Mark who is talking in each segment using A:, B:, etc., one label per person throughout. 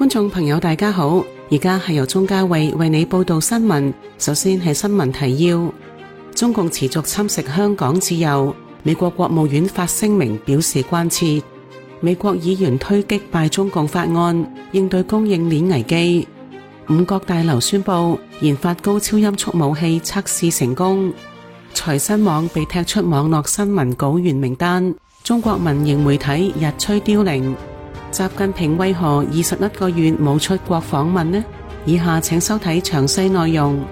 A: 觀眾朋友大家好，而家係由鍾嘉慧為你報道新聞。首先係新聞提要：中共持續侵蝕香港自由，美國國務院發聲明表示關切。美國議員推擊敗中共法案，應對供應鏈危機。五角大樓宣布研發高超音速武器測試成功。財新網被踢出網絡新聞稿源名單。中國民營媒體日趨凋零。習近平為何21個月冇出國訪問呢？以下請收睇詳細內容。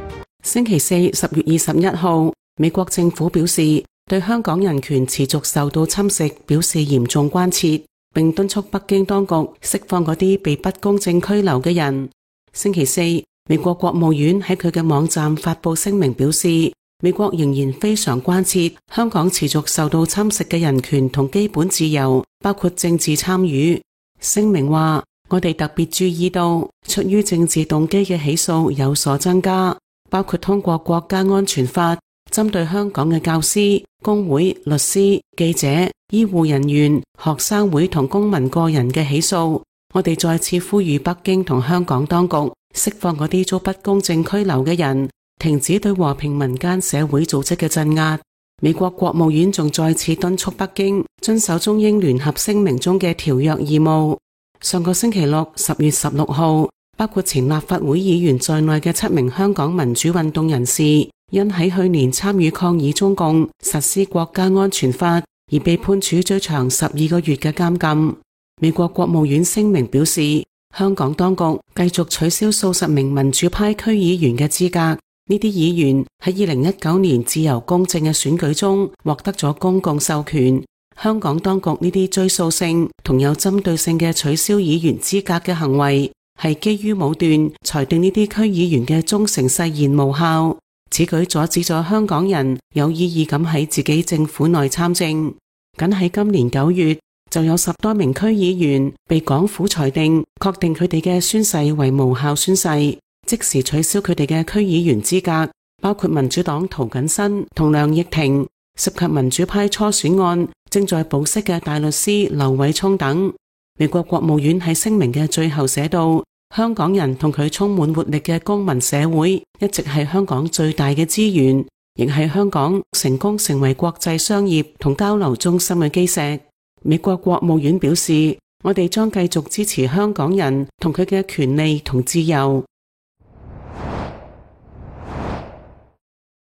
A: 星期四10月21號，美國政府表示對香港人權持續受到侵蝕表示嚴重關切，並敦促北京當局釋放嗰啲被不公正拘留嘅人。星期四，美國國務院喺佢嘅網站發佈聲明表示，美國仍然非常關切香港持續受到侵蝕嘅人權同基本自由，包括政治參與。聲明話，我哋特別注意到出於政治動機嘅起訴有所增加，包括通過國家安全法針對香港嘅教師、工會、律師、記者、醫護人員、學生會同公民個人嘅起訴。我哋再次呼籲北京同香港當局釋放嗰啲遭不公正拘留嘅人，停止對和平民間社會組織嘅鎮壓。美國國務院仲再次敦促北京遵守中英聯合聲明中嘅條約義務。上個星期六10月16號，包括前立法會議員在內嘅7名香港民主運動人士，因喺去年參與抗議中共實施國家安全法而被判處最長12個月嘅監禁。美國國務院聲明表示，香港當局繼續取消數十名民主派區議員嘅資格。呢啲議員喺2019年自由公正嘅選舉中獲得咗公共授權。香港當局呢啲追溯性同有針對性嘅取消議員資格嘅行為，係基於武斷裁定呢啲區議員嘅忠誠誓言無效。此舉阻止咗香港人有意義咁喺自己政府內參政。僅喺今年9月，就有10多名區議員被港府裁定確定佢哋嘅宣誓為無效宣誓，即時取消佢哋嘅區議員資格，包括民主黨涂謹申同梁亦婷，涉及民主派初選案正在保釋嘅大律師劉偉聰等。美國國務院喺聲明嘅最後寫道，香港人同佢充滿活力嘅公民社會一直係香港最大嘅資源，亦係香港成功成為國際商業同交流中心嘅基石。美國國務院表示，我哋將繼續支持香港人同佢嘅權利同自由。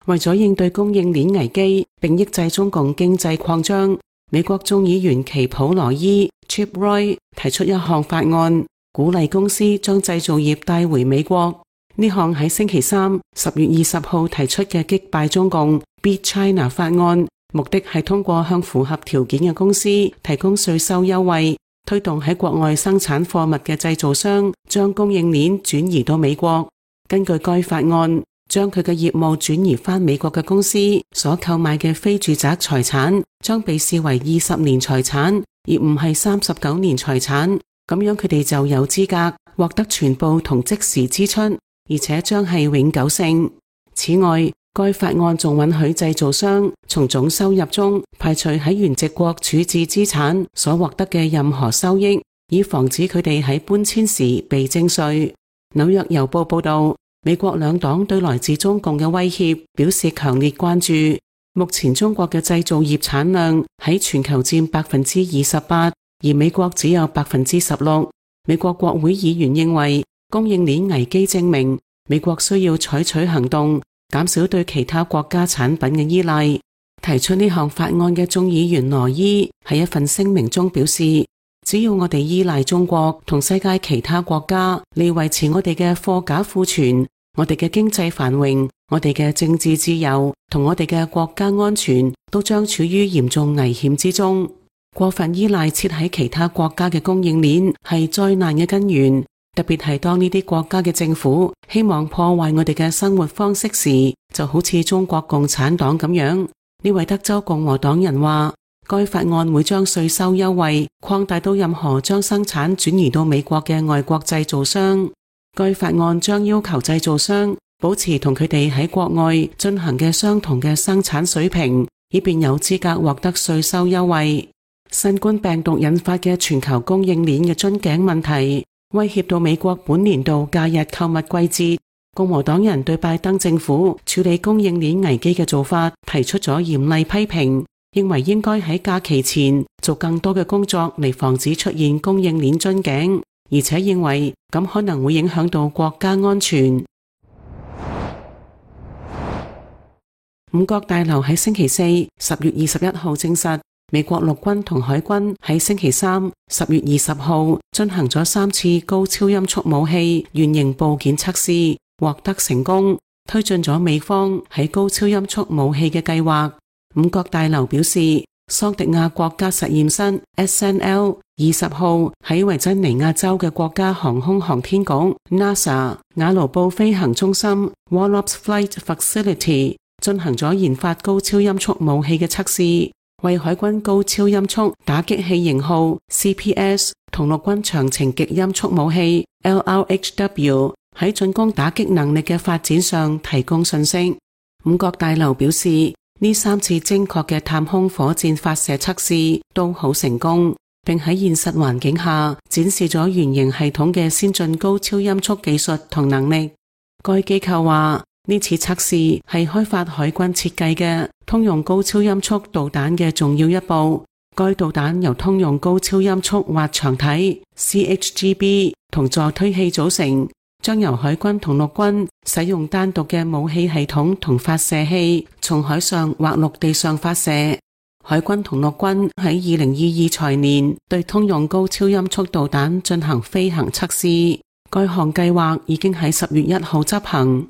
A: 為咗應對供應鏈危機並抑制中共經濟擴張，美國眾議員奇普羅伊 Chip Roy 提出一項法案，鼓勵公司將製造業帶回美國。呢項喺星期三10月20號提出嘅擊敗中共 Beat China 法案，目的係通過向符合條件嘅公司提供稅收優惠，推動喺國外生產貨物嘅製造商將供應鏈轉移到美國。根據該法案，將佢嘅業務轉移返美國嘅公司所購買嘅非住宅財產將被視為20年財產，而唔係39年財產。咁樣佢哋就有資格獲得全部同即時支出，而且將係永久性。此外，該法案仲允許製造商從總收入中排除喺原籍國處置資產所獲得嘅任何收益，以防止佢哋喺搬遷時被徵稅。紐約郵報報道，美國兩黨對來自中共嘅威脅表示強烈關注。目前中國嘅製造業產量喺全球佔28%，而美國只有16%。美國國會議員認為，供應鏈危機證明美國需要採取行動，減少對其他國家產品嘅依賴。提出呢項法案嘅眾議員羅伊喺一份聲明中表示，只要我哋依賴中國同世界其他國家嚟維持我哋嘅貨架庫存，我哋嘅經濟繁榮，我哋嘅政治自由同我哋嘅國家安全都將處於嚴重危險之中。過分依賴設喺其他國家嘅供應鏈係災難嘅根源，特別係當呢啲國家嘅政府希望破壞我哋嘅生活方式時，就好似中國共產黨咁樣。呢位德州共和黨人話，該法案會將稅收優惠擴大到任何將生產轉移到美國嘅外國製造商。該法案將要求製造商保持同佢哋喺國外進行嘅相同嘅生產水平，以便有資格獲得稅收優惠。新冠病毒引發嘅全球供應鏈嘅樽頸問題，威脅到美國本年度假日購物季節。共和黨人對拜登政府處理供應鏈危機嘅做法提出咗嚴厲批評，認為應該喺假期前做更多嘅工作嚟防止出現供應鏈樽頸，而且認為咁可能會影響到國家安全。五角大樓喺星期四10月21號證實，美國陸軍同海軍喺星期三10月20號進行咗3次高超音速武器原型部件測試，獲得成功，推進咗美方喺高超音速武器嘅計劃。五角大樓表示，桑迪亞國家實驗室 SNL 20號喺維珍尼亞州嘅國家航空航天局 NASA 瓦盧布飛行中心 Wallops Flight Facility 進行咗研發高超音速武器嘅測試，為海軍高超音速打擊器型號 CPS 同陸軍長程極音速武器 LRHW 喺進攻打擊能力嘅發展上提供信息。五角大樓表示，呢3次精確嘅太空火箭發射測試都好成功，並喺現實環境下展示咗原型系統嘅先進高超音速技術同能力。該機構話，呢次測試係開發海軍設計嘅通用高超音速導彈嘅重要一步。該導彈由通用高超音速滑翔體 CHGB 同助推器組成，將由海軍同陸軍使用單獨嘅武器系統同發射器，從海上或陸地上發射。海軍同陸軍喺2022財年對通用高超音速導彈進行飛行測試，該項計劃已經喺10月1號執行。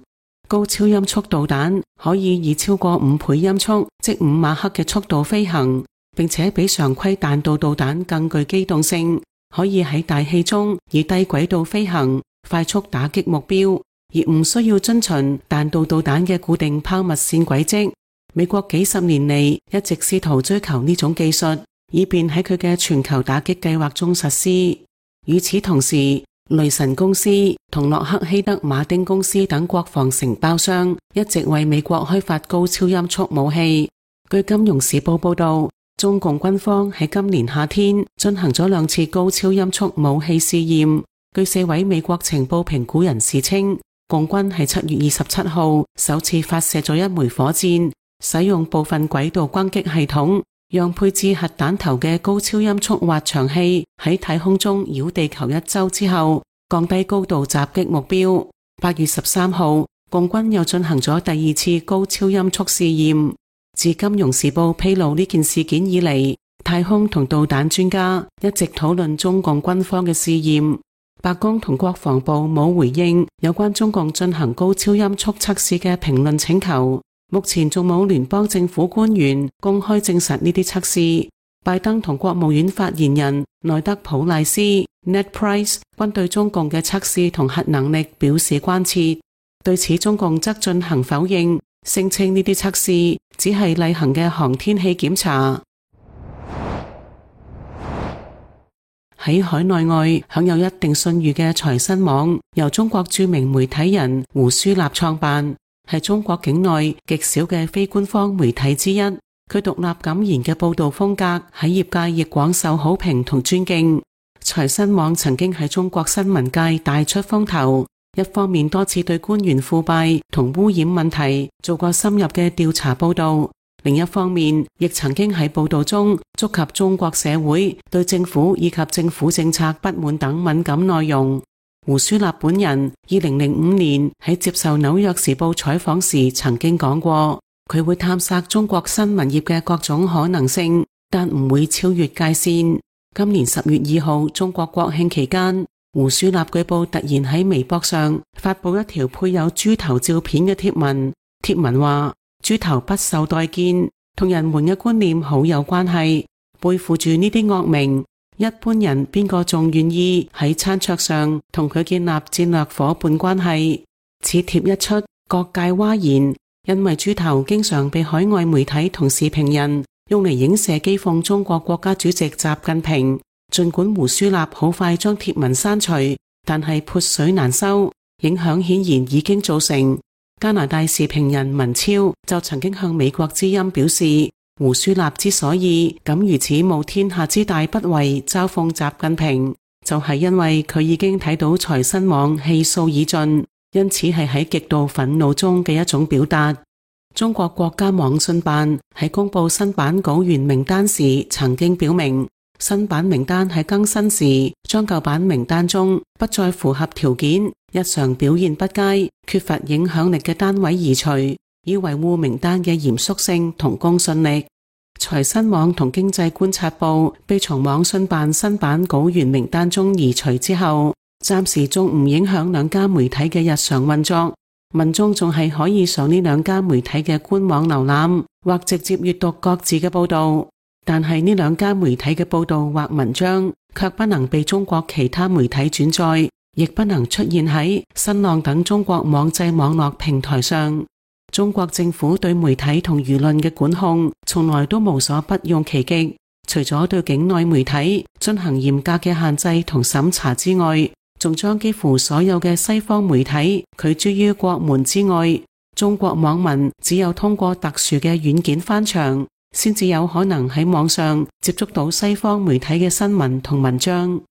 A: 高超音速導彈可以以超過5倍音速，即5馬赫嘅速度飛行，並且比常規彈道導彈更具機動性，可以喺大氣中以低軌道飛行，快速打擊目標，而唔需要遵循彈道導彈嘅固定拋物線軌跡。美國幾十年嚟一直試圖追求呢種技術，以便喺佢嘅全球打擊計劃中實施。與此同時，雷神公司同洛克希德馬丁公司等國防承包商一直為美國開發高超音速武器。據金融時報報道，中共軍方喺今年夏天進行咗2次高超音速武器試驗。據4位美國情報評估人士稱，共軍喺7月27號首次發射咗一枚火箭，使用部分軌道轟擊系統，讓配置核彈頭嘅高超音速滑翔器喺太空中繞地球1周之後，降低高度襲擊目標。8月13號，共軍又進行咗第2次高超音速試驗。自金融時報披露呢件事件以嚟，太空同導彈專家一直討論中共軍方嘅試驗。白宮同國防部冇回應有關中共進行高超音速測試嘅評論請求。目前仲冇聯邦政府官員公開證實呢啲測試。拜登同國務院發言人內德普賴斯 Ned Price 均對中共嘅測試同核能力表示關切。對此，中共則進行否認，聲稱呢啲測試只係例行嘅航天器檢查。喺海內外享有一定信譽嘅財新網，由中國著名媒體人胡舒立創辦，係中國境內極少嘅非官方媒體之一。佢獨立敢言嘅報道風格喺業界亦廣受好評同尊敬。財新網曾經喺中國新聞界大出風頭，一方面多次對官員腐敗同污染問題做過深入嘅調查報道，另一方面亦曾經喺報道中觸及中國社會對政府以及政府政策不滿等敏感內容。胡舒立本人2005年喺接受紐約時報採訪時曾經講過，佢會探索中國新聞業嘅各種可能性，但唔會超越界線。今年10月2號中國國慶期間，胡舒立據報突然喺微博上發布一條配有豬頭照片嘅貼文，貼文話豬頭不受待見，同人們嘅觀念好有關係，背負住呢啲惡名，一般人邊個仲願意喺餐桌上同佢建立戰略夥伴關係。此貼一出，各界譁然，因為豬頭經常被海外媒體同時評人用嚟影射譏諷中國國家主席習近平。盡管胡舒立好快將貼文刪除，但係潑水難收，影響顯然已經造成。加拿大時評人文超就曾經向美國之音表示，胡舒立之所以敢如此冒天下之大不韙嘲諷習近平，就係因為佢已經睇到財新網氣數已盡，因此係喺極度憤怒中嘅一種表達。中國國家網信辦喺公布新版稿源名單時曾經表明，新版名單喺更新時將舊版名單中不再符合條件、日常表現不佳、缺乏影響力嘅單位移除，以維護名單嘅嚴肅性同公信力。財新網同經濟觀察報被從網信辦新版稿源名單中移除之後，暫時仲唔影響兩家媒體嘅日常運作，民眾仲係可以上呢兩家媒體嘅官網瀏覽或直接閱讀各自嘅報道，但係呢兩家媒體嘅報道或文章卻不能被中國其他媒體轉載，亦不能出現喺新浪等中國網際網絡平台上。中國政府對媒體同輿論嘅管控從來都無所不用其極，除咗對境內媒體進行嚴格嘅限制同審查之外，仲將幾乎所有嘅西方媒體拒諸於國門之外。中國網民只有通過特殊嘅軟件翻牆，先至有可能喺網上接觸到西方媒體嘅新聞同文章。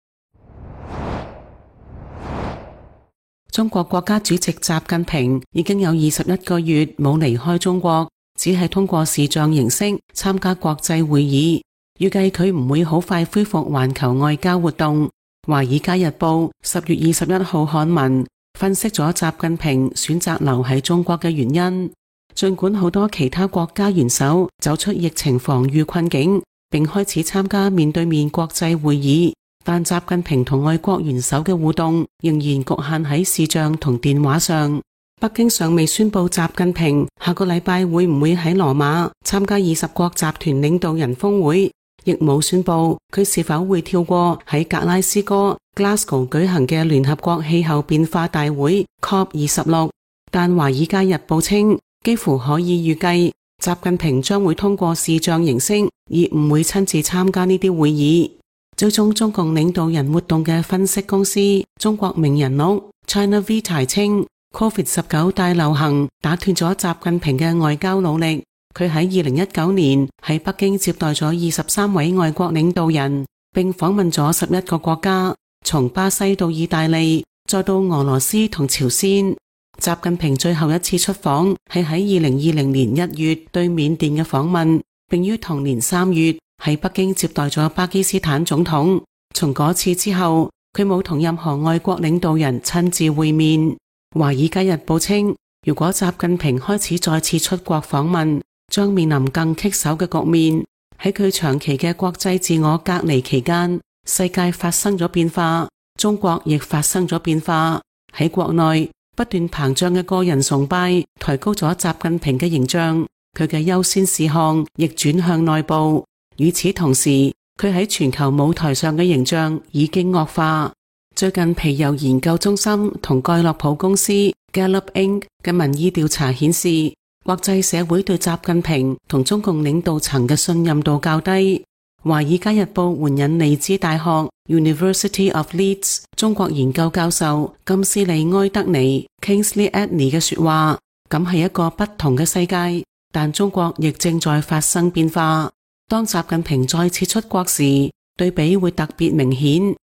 A: 中國國家主席習近平已經有21個月冇離開中國，只係通過視像形式參加國際會議。預計佢唔會好快恢復環球外交活動。華爾街日報10月21號刊文分析咗習近平選擇留喺中國嘅原因。儘管好多其他國家元首走出疫情防禦困境，並開始參加面對面國際會議，但習近平同外國元首嘅互動仍然局限喺視像同電話上。北京尚未宣布習近平下個禮拜會唔會喺羅馬參加20國集團領導人峰會，亦冇宣布佢是否會跳過喺格拉斯哥 Glasgow 舉行嘅聯合國氣候變化大會 COP26。但華爾街日報稱，幾乎可以預計習近平將會通過視像形式，而唔會親自參加呢啲會議。追蹤中共領導人活動嘅分析公司中國名人錄 China Vitae 稱， COVID-19 大流行打斷咗習近平嘅外交努力。佢喺2019年喺北京接待咗23位外國領導人，並訪問咗11個國家，從巴西到意大利，再到俄羅斯同朝鮮。習近平最後一次出訪係喺2020年1月對緬甸嘅訪問，並於同年3月喺北京接待咗巴基斯坦總統。從嗰次之後，佢冇同任何外國領導人親自會面。華爾街日報稱，如果習近平開始再次出國訪問，將面臨更棘手嘅局面。喺佢長期嘅國際自我隔離期間，世界發生咗變化，中國亦發生咗變化。喺國內不斷膨脹嘅個人崇拜抬高咗習近平嘅形象，佢嘅優先事項亦轉向內部。與此同時，佢喺全球舞台上嘅形象已經惡化。最近皮尤研究中心同蓋洛普公司 Gallup Inc. 嘅民意調查顯示，國際社會對習近平同中共領導層嘅信任度較低。華爾街日報援引利茲大學 University of Leeds 中國研究教授金斯利埃德尼 Kingsley Edney 嘅說話，咁係一個不同嘅世界，但中國亦正在發生變化。當習近平再次出國時，對比會特別明顯。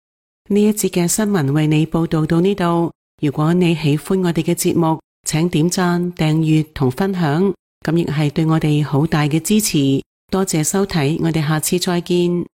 A: 呢一節嘅新聞為你報道到呢度。如果你喜歡我哋嘅節目，請點讚、訂閱同分享，咁亦係對我哋好大嘅支持。多謝收睇，我哋下次再見。